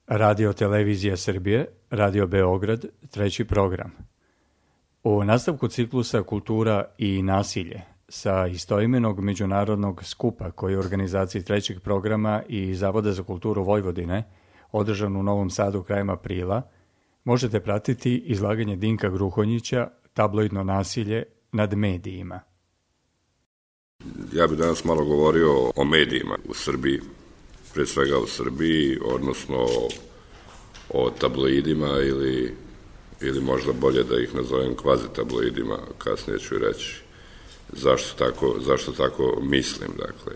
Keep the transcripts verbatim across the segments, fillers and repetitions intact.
Radio Televizija Srbije, Radio Beograd, treći program. U nastavku ciklusa Kultura i nasilje sa istoimenog međunarodnog skupa koji je u organizaciji trećeg programa i Zavoda za kulturu Vojvodine održan u Novom Sadu krajem aprila, možete pratiti izlaganje Dinka Gruhonjića Tabloidno nasilje nad medijima. Ja bih danas malo govorio o medijima u Srbiji, pre svega u Srbiji, odnosno o tabloidima ili, ili možda bolje da ih nazovem kvazi tabloidima, kasnije ću reći zašto tako, zašto tako mislim. Dakle,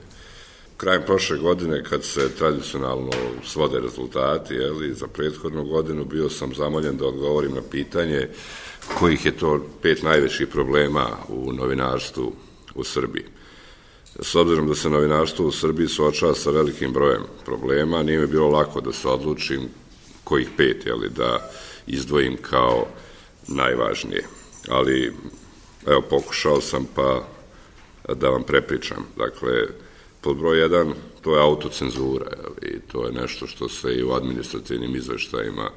krajem prošle godine, kad se tradicionalno svode rezultati, jeli, za prethodnu godinu, bio sam zamoljen da odgovorim na pitanje kojih je to pet najvećih problema u novinarstvu u Srbiji. S obzirom da se novinarstvo u Srbiji suočava sa velikim brojem problema, nije mi bilo lako da se odlučim kojih pet, jeli, da izdvojim kao najvažnije. Ali, evo, pokušao sam pa da vam prepričam. Dakle, pod broj jedan, to je autocenzura, jeli, to je nešto što se i u administrativnim izveštajima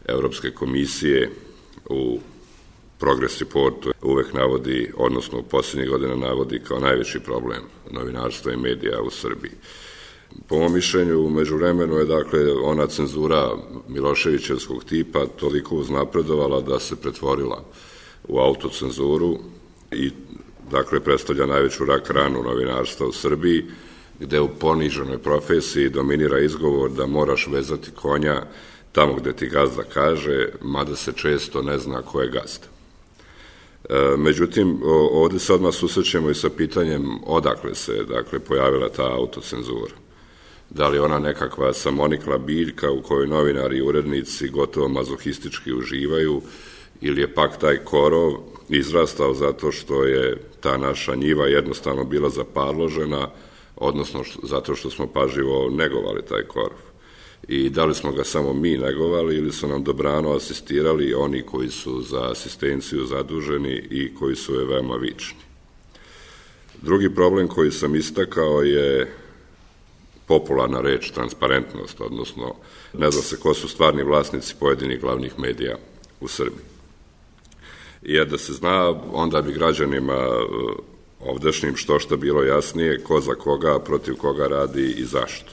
Evropske komisije u Progress Reportu uvek navodi, odnosno u posljednjih godina navodi kao najveći problem novinarstva i medija u Srbiji. Po mom mišljenju, u međuvremenu je, dakle, ona cenzura Miloševićevskog tipa toliko uznapredovala da se pretvorila u autocenzuru i, dakle, predstavlja najveću rak ranu novinarstva u Srbiji, gde u poniženoj profesiji dominira izgovor da moraš vezati konja tamo gde ti gazda kaže, mada se često ne zna ko je gazda. Međutim, ovde se odmah susrećemo i sa pitanjem odakle se, dakle, pojavila ta autocenzura. Da li ona nekakva samonikla biljka u kojoj novinari i urednici gotovo mazohistički uživaju, ili je pak taj korov izrastao zato što je ta naša njiva jednostavno bila zaparložena, odnosno zato što smo pažljivo negovali taj korov. I da li smo ga samo mi negovali ili su nam dobrano asistirali oni koji su za asistenciju zaduženi i koji su je veoma vični. Drugi problem koji sam istakao je popularna reč transparentnost, odnosno ne zna se ko su stvarni vlasnici pojedinih glavnih medija u Srbiji. Jer da se zna, onda bi građanima ovdašnjim što šta bilo jasnije ko za koga, protiv koga radi i zašto.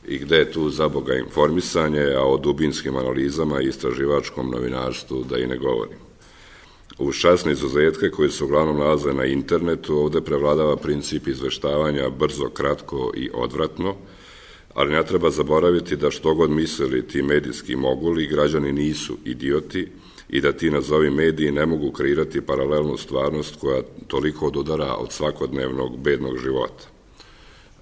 I gde je tu za Boga informisanje, a o dubinskim analizama i istraživačkom novinarstvu da i ne govorim. Uz časne izuzetke koji se uglavnom nalaze na internetu, ovde prevladava princip izveštavanja brzo, kratko i odvratno, ali ne treba zaboraviti da što god mislili ti medijski moguli, građani nisu idioti i da ti nazovi mediji ne mogu kreirati paralelnu stvarnost koja toliko odudara od svakodnevnog bednog života.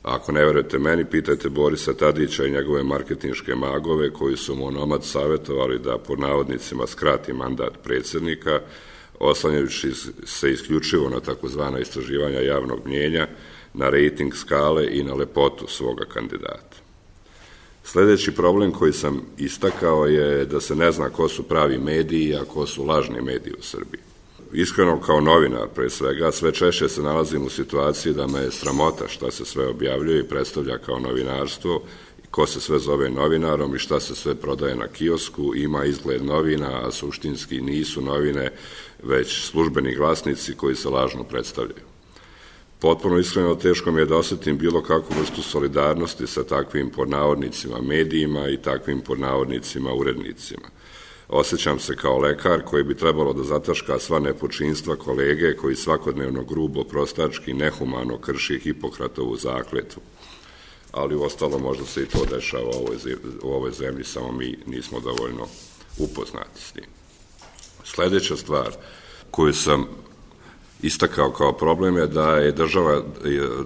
Ako ne verujete meni, pitajte Borisa Tadića i njegove marketinške magove koji su mu onomad savjetovali da po navodnicima skrati mandat predsjednika, oslanjajući se isključivo na takozvana istraživanja javnog mnjenja, na rejting skale i na lepotu svoga kandidata. Sledeći problem koji sam istakao je da se ne zna ko su pravi mediji, a ko su lažni mediji u Srbiji. Iskreno, kao novinar, pre svega, sve češće se nalazim u situaciji da me je sramota šta se sve objavljuje i predstavlja kao novinarstvo, ko se sve zove novinarom i šta se sve prodaje na kiosku, ima izgled novina, a suštinski nisu novine, već službeni glasnici koji se lažno predstavljaju. Potpuno iskreno teško mi je da osetim bilo kakvu vrstu solidarnosti sa takvim podnavodnicima medijima i takvim podnavodnicima urednicima. Osjećam se kao lekar koji bi trebalo da zataška sva nepočinstva kolege koji svakodnevno grubo, prostački, nehumano krši Hipokratovu zakletvu. Ali uostalo možda se i to dešava u ovoj, u ovoj zemlji, samo mi nismo dovoljno upoznati s tim. Sledeća stvar koju sam istakao kao problem je da je država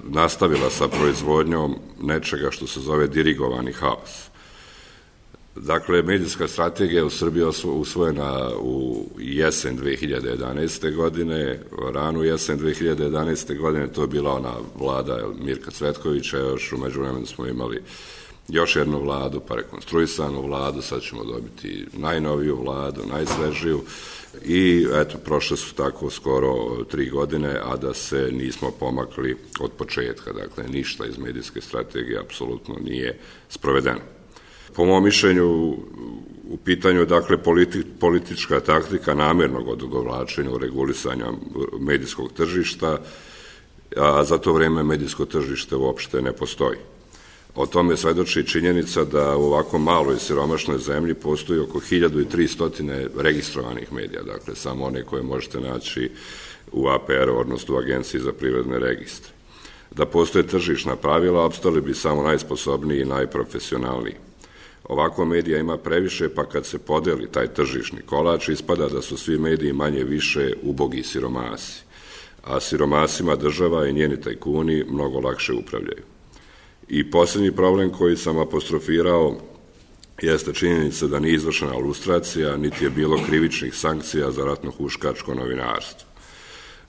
nastavila sa proizvodnjom nečega što se zove dirigovani haos. Dakle, medijska strategija u Srbiji je usvojena u jesen dve hiljade jedanaeste. godine, ranu jesen dve hiljade jedanaeste. godine, to je bila ona vlada Mirka Cvetkovića, još u međuvremenu smo imali još jednu vladu, pa rekonstruisanu vladu, sad ćemo dobiti najnoviju vladu, najsvežiju i eto, prošle su tako skoro tri godine, a da se nismo pomakli od početka, dakle, ništa iz medijske strategije apsolutno nije sprovedeno. Po mom mišljenju, u pitanju je dakle politi, politička taktika namjernog odugovlačenja u regulisanju medijskog tržišta, a za to vrijeme medijsko tržište uopšte ne postoji. O tome svedoči činjenica da u ovako maloj i siromašnoj zemlji postoji oko hiljadu tristo registrovanih medija, dakle samo one koje možete naći u A P R, odnosno u Agenciji za privredne registre. Da postoje tržišna pravila, opstali bi samo najsposobniji i najprofesionalniji. Ovako medija ima previše, pa kad se podeli taj tržišni kolač, ispada da su svi mediji manje više ubogi siromasi, a siromasima država i njeni tajkuni mnogo lakše upravljaju. I posljednji problem koji sam apostrofirao jeste činjenica da nije izvršena lustracija, niti je bilo krivičnih sankcija za ratno-huškačko novinarstvo.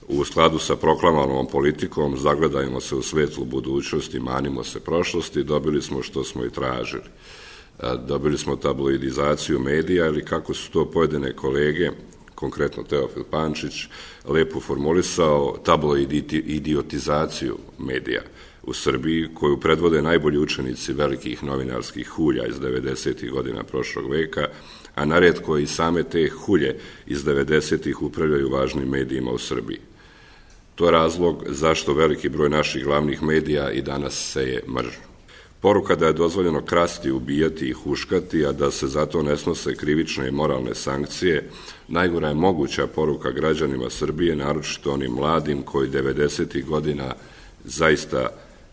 U skladu sa proklamovanom politikom zagledajmo se u svetlu budućnosti, manimo se prošlosti, dobili smo što smo i tražili. Dobili smo tabloidizaciju medija ili kako su to pojedine kolege, konkretno Teofil Pančić, lepo formulisao, tabloidiotizaciju medija u Srbiji, koju predvode najbolji učenici velikih novinarskih hulja iz devedesetih godina prošlog veka, a naredko i same te hulje iz devedesetih upravljaju važnim medijima u Srbiji. To je razlog zašto veliki broj naših glavnih medija i danas seje mržnju. Poruka da je dozvoljeno krasti, ubijati i huškati, a da se zato ne snose krivične i moralne sankcije, najgora je moguća poruka građanima Srbije, naročito onim mladim koji devedesetih godina zaista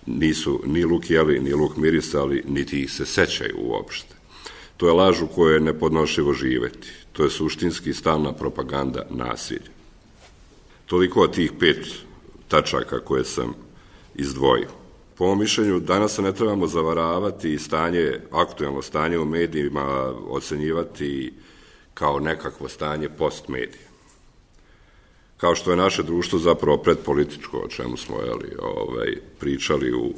nisu ni luk jeli, ni luk mirisali, niti ih se sećaju uopšte. To je laž u kojoj je nepodnošljivo živeti. To je suštinski stalna propaganda nasilja. Toliko od tih pet tačaka koje sam izdvojio. Po mom mišljenju, danas se ne trebamo zavaravati i stanje, aktuelno stanje u medijima ocenjivati kao nekakvo stanje post-medija. Kao što je naše društvo zapravo predpolitičko, o čemu smo jeli, ovaj, pričali u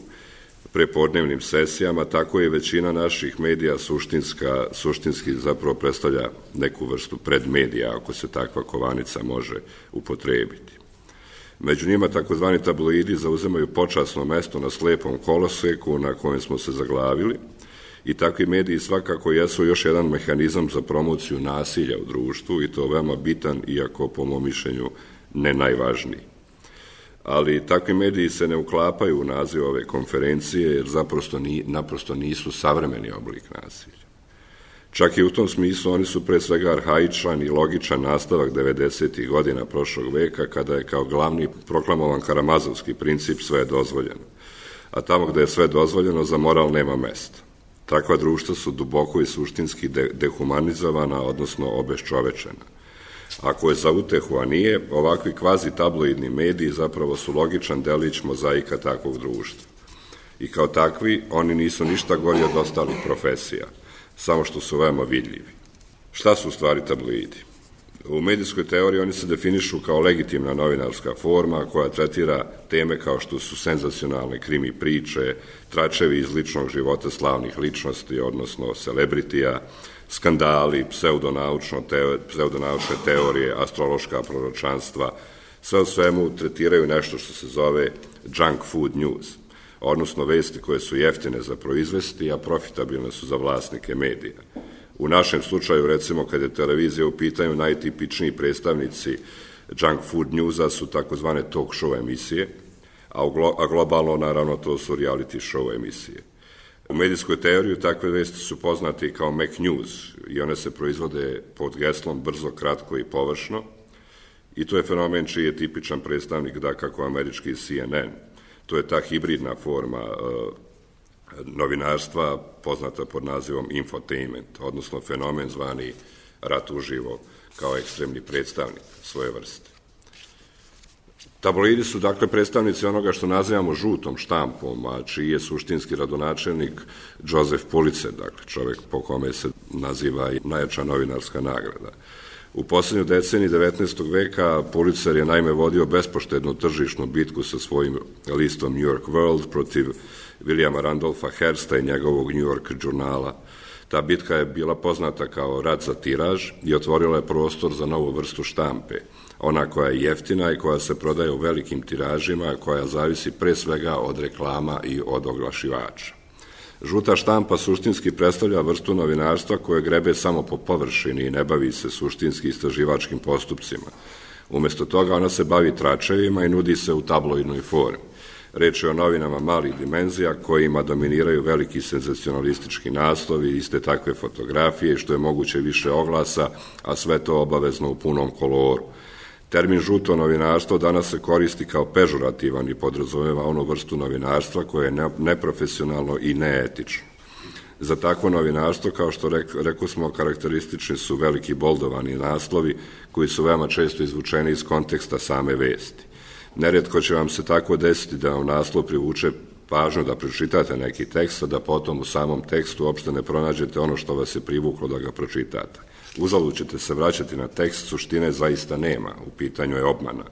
prepodnevnim sesijama, tako je većina naših medija suštinska, suštinski zapravo predstavlja neku vrstu predmedija, ako se takva kovanica može upotrebiti. Među njima takozvani tabloidi zauzemaju počasno mesto na slepom koloseku na kojem smo se zaglavili i takvi mediji svakako jesu još jedan mehanizam za promociju nasilja u društvu i to veoma bitan, iako po mom mišljenju ne najvažniji. Ali takvi mediji se ne uklapaju u naziv ove konferencije jer zaprosto ni, naprosto nisu savremeni oblik nasilja. Čak i u tom smislu oni su pre svega arhaičan i logičan nastavak devedesetih godina prošlog veka kada je kao glavni proklamovan karamazovski princip sve je dozvoljeno. A tamo gde je sve dozvoljeno za moral nema mesta. Takva društva su duboko i suštinski de- dehumanizovana, odnosno obeščovečena. Ako je za utehu, a nije, ovakvi kvazi tabloidni mediji zapravo su logičan delić mozaika takvog društva. I kao takvi, oni nisu ništa gori od ostalih profesija, samo što su veoma vidljivi. Šta su u stvari tabloidi? U medijskoj teoriji oni se definišu kao legitimna novinarska forma koja tretira teme kao što su senzacionalne krimi priče, tračevi iz ličnog života slavnih ličnosti, odnosno celebritija, skandali, pseudonaučno teo, pseudonaučne teorije, astrološka proročanstva, sve u svemu tretiraju nešto što se zove junk food news, odnosno vesti koje su jeftine za proizvesti, a profitabilne su za vlasnike medija. U našem slučaju, recimo, kad je televizija u pitanju, najtipičniji predstavnici junk food newsa su takozvane talk show emisije, a, glo, a globalno, naravno, to su reality show emisije. U medijskoj teoriji takve vesti su poznate kao Mac News i one se proizvode pod geslom brzo, kratko i površno i to je fenomen čiji je tipičan predstavnik da kako američki C N N. To je ta hibridna forma uh, novinarstva poznata pod nazivom infotainment, odnosno fenomen zvani rat uživo kao ekstremni predstavnik svoje vrste. Tabloidi su dakle predstavnici onoga što nazivamo žutom štampom, a čiji je suštinski radonačelnik Joseph Pulitzer, dakle čovjek po kome se naziva i najjača novinarska nagrada. U posljednjoj deceniji devetnaestog veka Pulitzer je naime vodio bespoštednu tržišnu bitku sa svojim listom New York World protiv Williama Randolpha Hearsta i njegovog New York žurnala. Ta bitka je bila poznata kao rat za tiraž i otvorila je prostor za novu vrstu štampe, ona koja je jeftina i koja se prodaje u velikim tiražima, koja zavisi pre svega od reklama i od oglašivača. Žuta štampa suštinski predstavlja vrstu novinarstva koje grebe samo po površini i ne bavi se suštinski istraživačkim postupcima. Umjesto toga ona se bavi tračevima i nudi se u tabloidnoj formi. Reč je o novinama malih dimenzija kojima dominiraju veliki senzacionalistički naslovi, iste takve fotografije, što je moguće više oglasa, a sve to obavezno u punom koloru. Termin žuto novinarstvo danas se koristi kao pežurativan i podrazumeva onu vrstu novinarstva koje je neprofesionalno i neetično. Za takvo novinarstvo, kao što rekao smo, karakteristični su veliki boldovani naslovi koji su veoma često izvučeni iz konteksta same vesti. Nerijetko će vam se tako desiti da vam naslov privuče pažnju da pročitate neki tekst, a da potom u samom tekstu uopšte ne pronađete ono što vas je privuklo da ga pročitate. Uzalud ćete se vraćati na tekst, suštine zaista nema, u pitanju je obmana.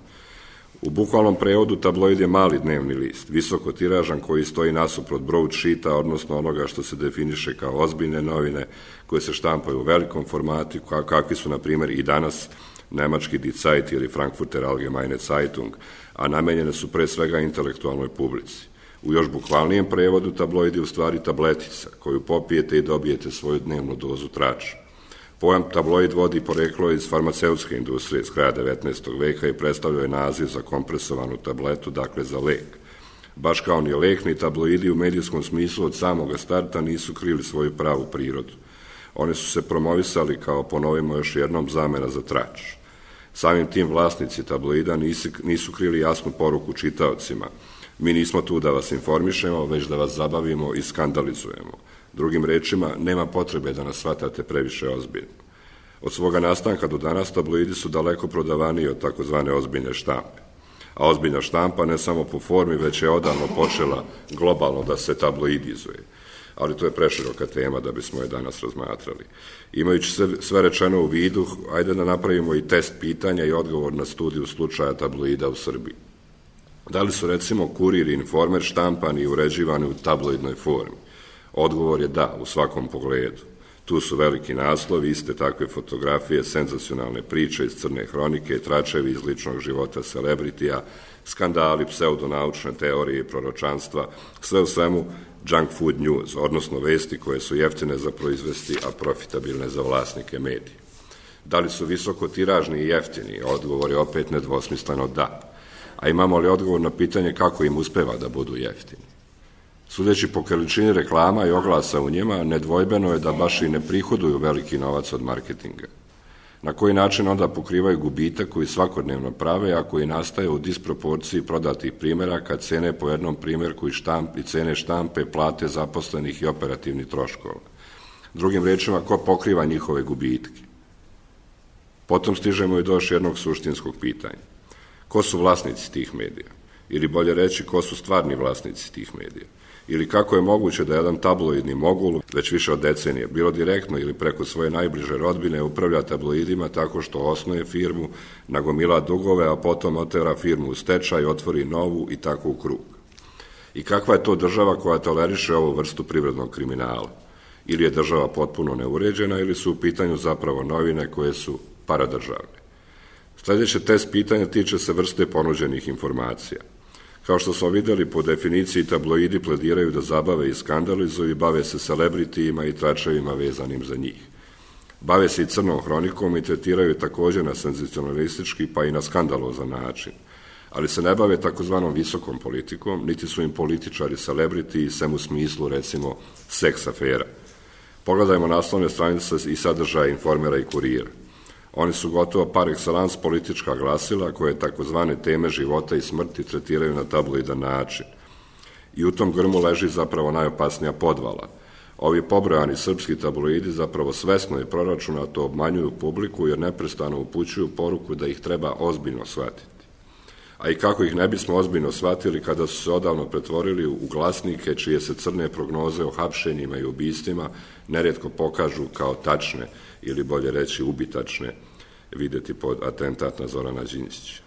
U bukvalnom prevodu tabloid je mali dnevni list, visoko tiražan koji stoji nasuprot broadsheeta, odnosno onoga što se definiše kao ozbiljne novine koje se štampaju u velikom formatu, kakvi su, na primjer, i danas nemački Die Zeit ili Frankfurter Allgemeine Zeitung, a namenjene su pre svega intelektualnoj publici. U još bukvalnijem prevodu tabloid je u stvari tabletica koju popijete i dobijete svoju dnevnu dozu trača. Pojam tabloid vodi poreklo iz farmaceutske industrije iz kraja devetnaestog veka i predstavljao je naziv za kompresovanu tabletu, dakle za lek. Baš kao ni lek, ni tabloidi u medijskom smislu od samoga starta nisu krili svoju pravu prirodu. Oni su se promovisali kao, ponovimo još jednom, zamena za trač. Samim tim vlasnici tabloida nisu, nisu krili jasnu poruku čitaocima. Mi nismo tu da vas informišemo, već da vas zabavimo i skandalizujemo. Drugim rečima, nema potrebe da nas shvatate previše ozbiljno. Od svoga nastanka do danas tabloidi su daleko prodavaniji od takozvane ozbiljne štampe. A ozbiljna štampa ne samo po formi, već je odavno počela globalno da se tabloidizuje. Ali to je preširoka tema da bismo je danas razmatrali. Imajući sve, sve rečeno u vidu, ajde da napravimo i test pitanja i odgovor na studiju slučaja tabloida u Srbiji. Da li su, recimo, Kurir i Informer štampani i uređivani u tabloidnoj formi? Odgovor je da, u svakom pogledu. Tu su veliki naslovi, iste takve fotografije, senzacionalne priče iz crne hronike, tračevi iz ličnog života celebritija, skandali, pseudonaučne teorije i proročanstva, sve u svemu junk food news, odnosno vesti koje su jeftine za proizvesti, a profitabilne za vlasnike medija. Da li su visoko tiražni i jeftini? Odgovor je opet nedvosmisleno da. A imamo li odgovor na pitanje kako im uspeva da budu jeftini? Sudeći po količini reklama i oglasa u njima, nedvojbeno je da baš i ne prihoduju veliki novac od marketinga. Na koji način onda pokrivaju gubitak koji svakodnevno prave, a koji nastaje u disproporciji prodatih primjeraka, cene po jednom primjerku i, štamp, i cene štampe, plate zaposlenih i operativnih troškova. Drugim rečima, ko pokriva njihove gubitke? Potom stižemo i do još jednog suštinskog pitanja. Ko su vlasnici tih medija? Ili bolje reći, ko su stvarni vlasnici tih medija? Ili kako je moguće da jedan tabloidni mogul, već više od decenije, bilo direktno ili preko svoje najbliže rodbine, upravlja tabloidima tako što osnuje firmu, nagomila dugove, a potom otera firmu u stečaj, otvori novu i tako u krug. I kakva je to država koja toleriše ovu vrstu privrednog kriminala? Ili je država potpuno neuređena, ili su u pitanju zapravo novine koje su paradržavne? Sljedeće test pitanja tiče se vrste ponuđenih informacija. Kao što smo vidjeli, po definiciji tabloidi plediraju da zabave i skandalizuju i bave se celebritijima i tračevima vezanim za njih. Bave se i crnom hronikom i tretiraju također na senzacionalistički pa i na skandalozan način. Ali se ne bave takozvanom visokom politikom, niti su im političari celebritiji, sem u smislu, recimo, seks afera. Pogledajmo naslovne stranice i sadržaje Informera i Kurira. Oni su gotovo par excellence politička glasila koje takozvane teme života i smrti tretiraju na tabloidan način. I u tom grmu leži zapravo najopasnija podvala. Ovi pobrojani srpski tabloidi zapravo svesno i proračunato obmanjuju publiku jer neprestano upućuju poruku da ih treba ozbiljno shvatiti. A i kako ih ne bismo ozbiljno shvatili kada su se odavno pretvorili u glasnike čije se crne prognoze o hapšenjima i ubistvima nerijetko pokažu kao tačne ili bolje reći ubitačne, vidjeti pod atentat na Zorana Đinđića.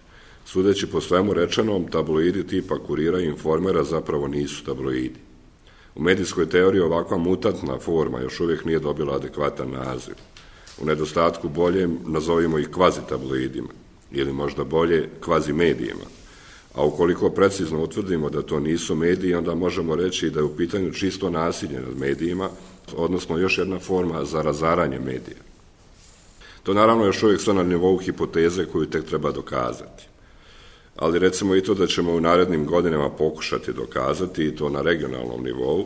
Sudeći po svemu rečenom, tabloidi tipa Kurira i Informera zapravo nisu tabloidi. U medijskoj teoriji ovakva mutantna forma još uvijek nije dobila adekvatan naziv. U nedostatku bolje nazovimo ih kvazi tabloidima, ili možda bolje kvazi medijima. A ukoliko precizno utvrdimo da to nisu mediji, onda možemo reći da je u pitanju čisto nasilje nad medijima, odnosno još jedna forma za razaranje medija. To naravno još uvijek sve na nivou hipoteze koju tek treba dokazati. Ali recimo i to da ćemo u narednim godinama pokušati dokazati, i to na regionalnom nivou,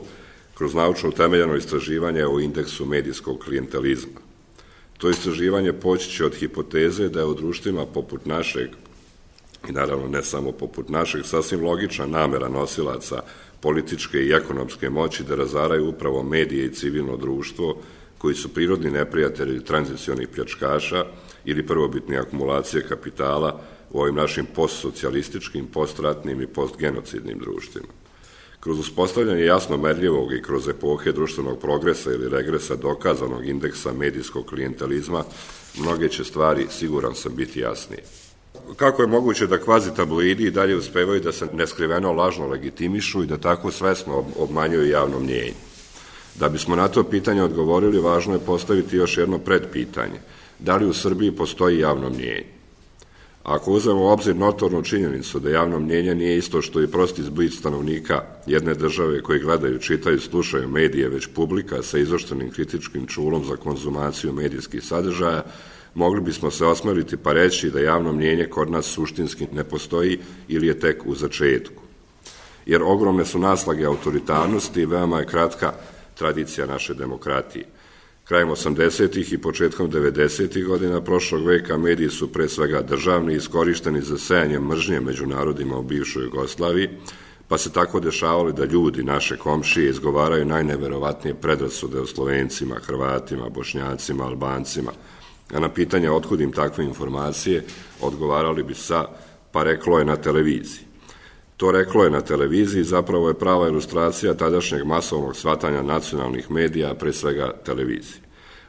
kroz naučno utemeljeno istraživanje o indeksu medijskog klijentelizma. To istraživanje poći će od hipoteze da je u društvima poput našeg, i naravno ne samo poput našeg, sasvim logična namera nosilaca političke i ekonomske moći da razaraju upravo medije i civilno društvo, koji su prirodni neprijatelji tranzicionih pljačkaša ili prvobitne akumulacije kapitala u ovim našim postsocijalističkim, postratnim i postgenocidnim društvima. Kroz uspostavljanje jasno merljivog i kroz epohe društvenog progresa ili regresa dokazanog indeksa medijskog klijentelizma, mnoge će stvari, siguran sam, biti jasnije. Kako je moguće da kvazi tabloidi i dalje uspevaju da se neskriveno lažno legitimišu i da tako svesno obmanjuju javno mnjenje? Da bismo na to pitanje odgovorili, važno je postaviti još jedno predpitanje. Da li u Srbiji postoji javno mnjenje? Ako uzmemo u obzir notornu činjenicu da javno mnjenje nije isto što i prosti zblic stanovnika jedne države koji gledaju, čitaju, slušaju medije, već publika sa izoštrenim kritičkim čulom za konzumaciju medijskih sadržaja, mogli bismo se osmeliti pa reći da javno mnjenje kod nas suštinski ne postoji ili je tek u začetku. Jer ogromne su naslage autoritarnosti i veoma je kratka tradicija naše demokratije. Krajem osamdesetih i početkom devedesetih godina prošlog veka mediji su pre svega državni, iskorišteni za sejanje mržnje među narodima u bivšoj Jugoslaviji, pa se tako dešavali da ljudi, naše komšije, izgovaraju najneverovatnije predrasude o Slovencima, Hrvatima, Bošnjacima, Albancima, a na pitanje otkud im takve informacije odgovarali bi sa pa reklo je na televiziji. To reklo je na televiziji zapravo je prava ilustracija tadašnjeg masovnog shvatanja nacionalnih medija, a pre svega televizije.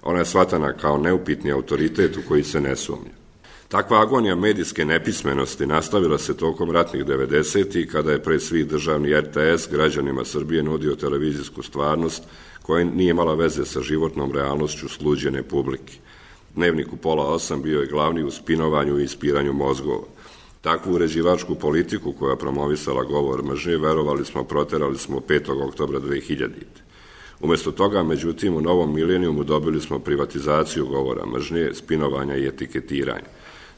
Ona je shvatana kao neupitni autoritet u koji se ne sumnja. Takva agonija medijske nepismenosti nastavila se tokom ratnih devedesetih kada je pre svih državni er te es građanima Srbije nudio televizijsku stvarnost koja nije imala veze sa životnom realnošću sluđene publike. Dnevnik u pola osam bio je glavni u spinovanju i ispiranju mozgova. Takvu uređivačku politiku koja promovisala govor mržnje, verovali smo, proterali smo petog oktobra dve hiljadite. Umesto toga, međutim, u novom milenijumu dobili smo privatizaciju govora mržnje, spinovanja i etiketiranja.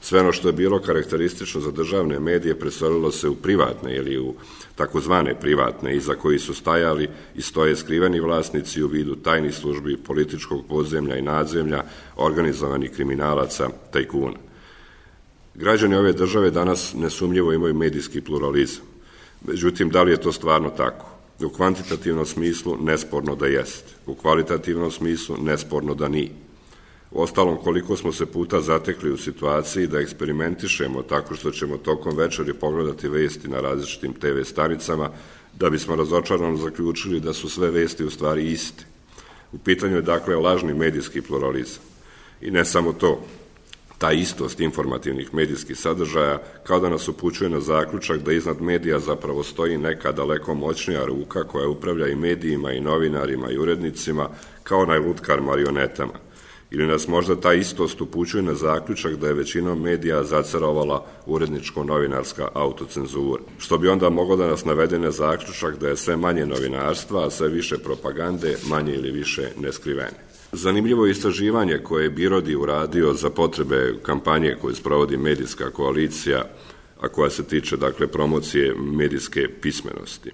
Sve ono što je bilo karakteristično za državne medije preselilo se u privatne ili u takozvane privatne, iza koji su stajali i stoje skriveni vlasnici u vidu tajnih službi, političkog podzemlja i nadzemlja, organizovanih kriminalaca, tajkuna. Građani ove države danas nesumnjivo imaju medijski pluralizam. Međutim, da li je to stvarno tako? U kvantitativnom smislu nesporno da jeste. U kvalitativnom smislu nesporno da nije. Uostalom, koliko smo se puta zatekli u situaciji da eksperimentišemo tako što ćemo tokom večeri pogledati vesti na različitim te ve stanicama, da bismo razočarano zaključili da su sve vesti u stvari iste. U pitanju je dakle lažni medijski pluralizam. I ne samo to. Ta istost informativnih medijskih sadržaja kao da nas upućuje na zaključak da iznad medija zapravo stoji neka daleko moćnija ruka koja upravlja i medijima i novinarima i urednicima kao najlutkar marionetama. Ili nas možda ta istost upućuje na zaključak da je većinom medija zacerovala uredničko-novinarska autocenzura, što bi onda moglo da nas navede na zaključak da je sve manje novinarstva, a sve više propagande, manje ili više neskrivene. Zanimljivo je istraživanje koje je Birodi uradio za potrebe kampanje koju sprovodi medijska koalicija, a koja se tiče dakle promocije medijske pismenosti.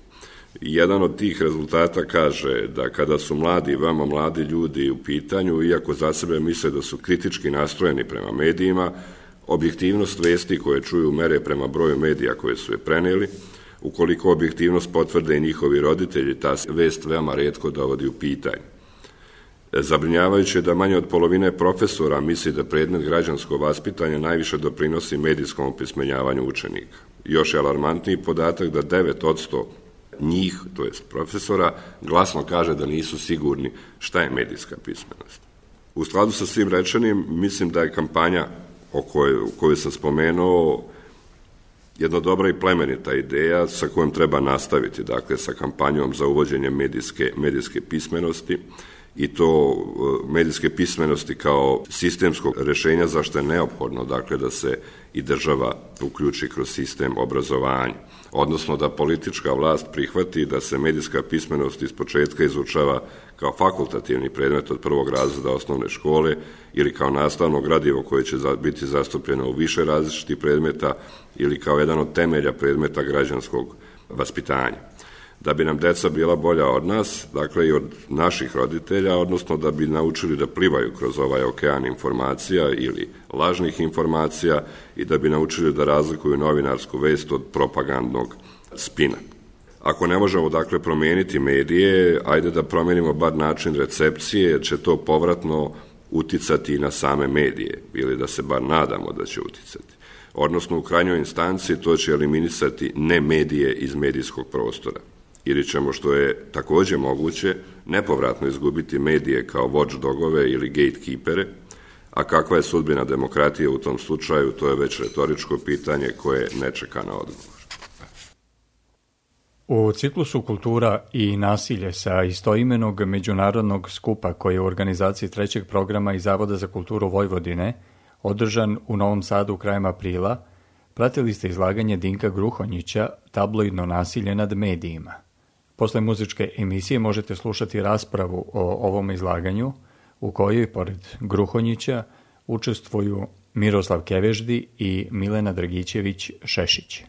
Jedan od tih rezultata kaže da kada su mladi, veoma mladi ljudi u pitanju, iako za sebe misle da su kritički nastrojeni prema medijima, objektivnost vesti koje čuju mere prema broju medija koje su je preneli, ukoliko objektivnost potvrde i njihovi roditelji, ta vest veoma retko dovodi u pitanje. Zabrinjavajuće je da manje od polovine profesora misli da predmet građansko vaspitanje najviše doprinosi medijskom opismenjavanju učenika. Još je alarmantniji podatak da devet posto njih, to jest profesora, glasno kaže da nisu sigurni šta je medijska pismenost. U skladu sa svim rečenim, mislim da je kampanja o kojoj, koju sam spomenuo jedna dobra i plemenita ideja sa kojom treba nastaviti, dakle sa kampanjom za uvođenje medijske, medijske pismenosti, i to medijske pismenosti kao sistemskog rješenja zašto je neophodno dakle da se i država uključi kroz sistem obrazovanja, odnosno da politička vlast prihvati da se medijska pismenost iz početka izučava kao fakultativni predmet od prvog razreda osnovne škole ili kao nastavno gradivo koje će biti zastupljeno u više različitih predmeta ili kao jedan od temelja predmeta građanskog vaspitanja. Da bi nam deca bila bolja od nas, dakle i od naših roditelja, odnosno da bi naučili da plivaju kroz ovaj okean informacija ili lažnih informacija i da bi naučili da razlikuju novinarsku vest od propagandnog spina. Ako ne možemo dakle promijeniti medije, ajde da promijenimo bar način recepcije, jer će to povratno uticati na same medije, ili da se bar nadamo da će uticati. Odnosno u krajnjoj instanci to će eliminisati ne medije iz medijskog prostora. Ili ćemo, što je također moguće, nepovratno izgubiti medije kao watchdogove ili gatekeepere, a kakva je sudbina demokratije u tom slučaju, to je već retoričko pitanje koje ne čeka na odgovor. U ciklusu Kultura i nasilje sa istoimenog međunarodnog skupa koji je u organizaciji trećeg programa i Zavoda za kulturu Vojvodine održan u Novom Sadu krajem aprila, pratili ste izlaganje Dinka Gruhonjića Tabloidno nasilje nad medijima. Posle muzičke emisije možete slušati raspravu o ovom izlaganju u kojoj, pored Gruhonjića, učestvuju Miroslav Keveždi i Milena Dragićević Šešić.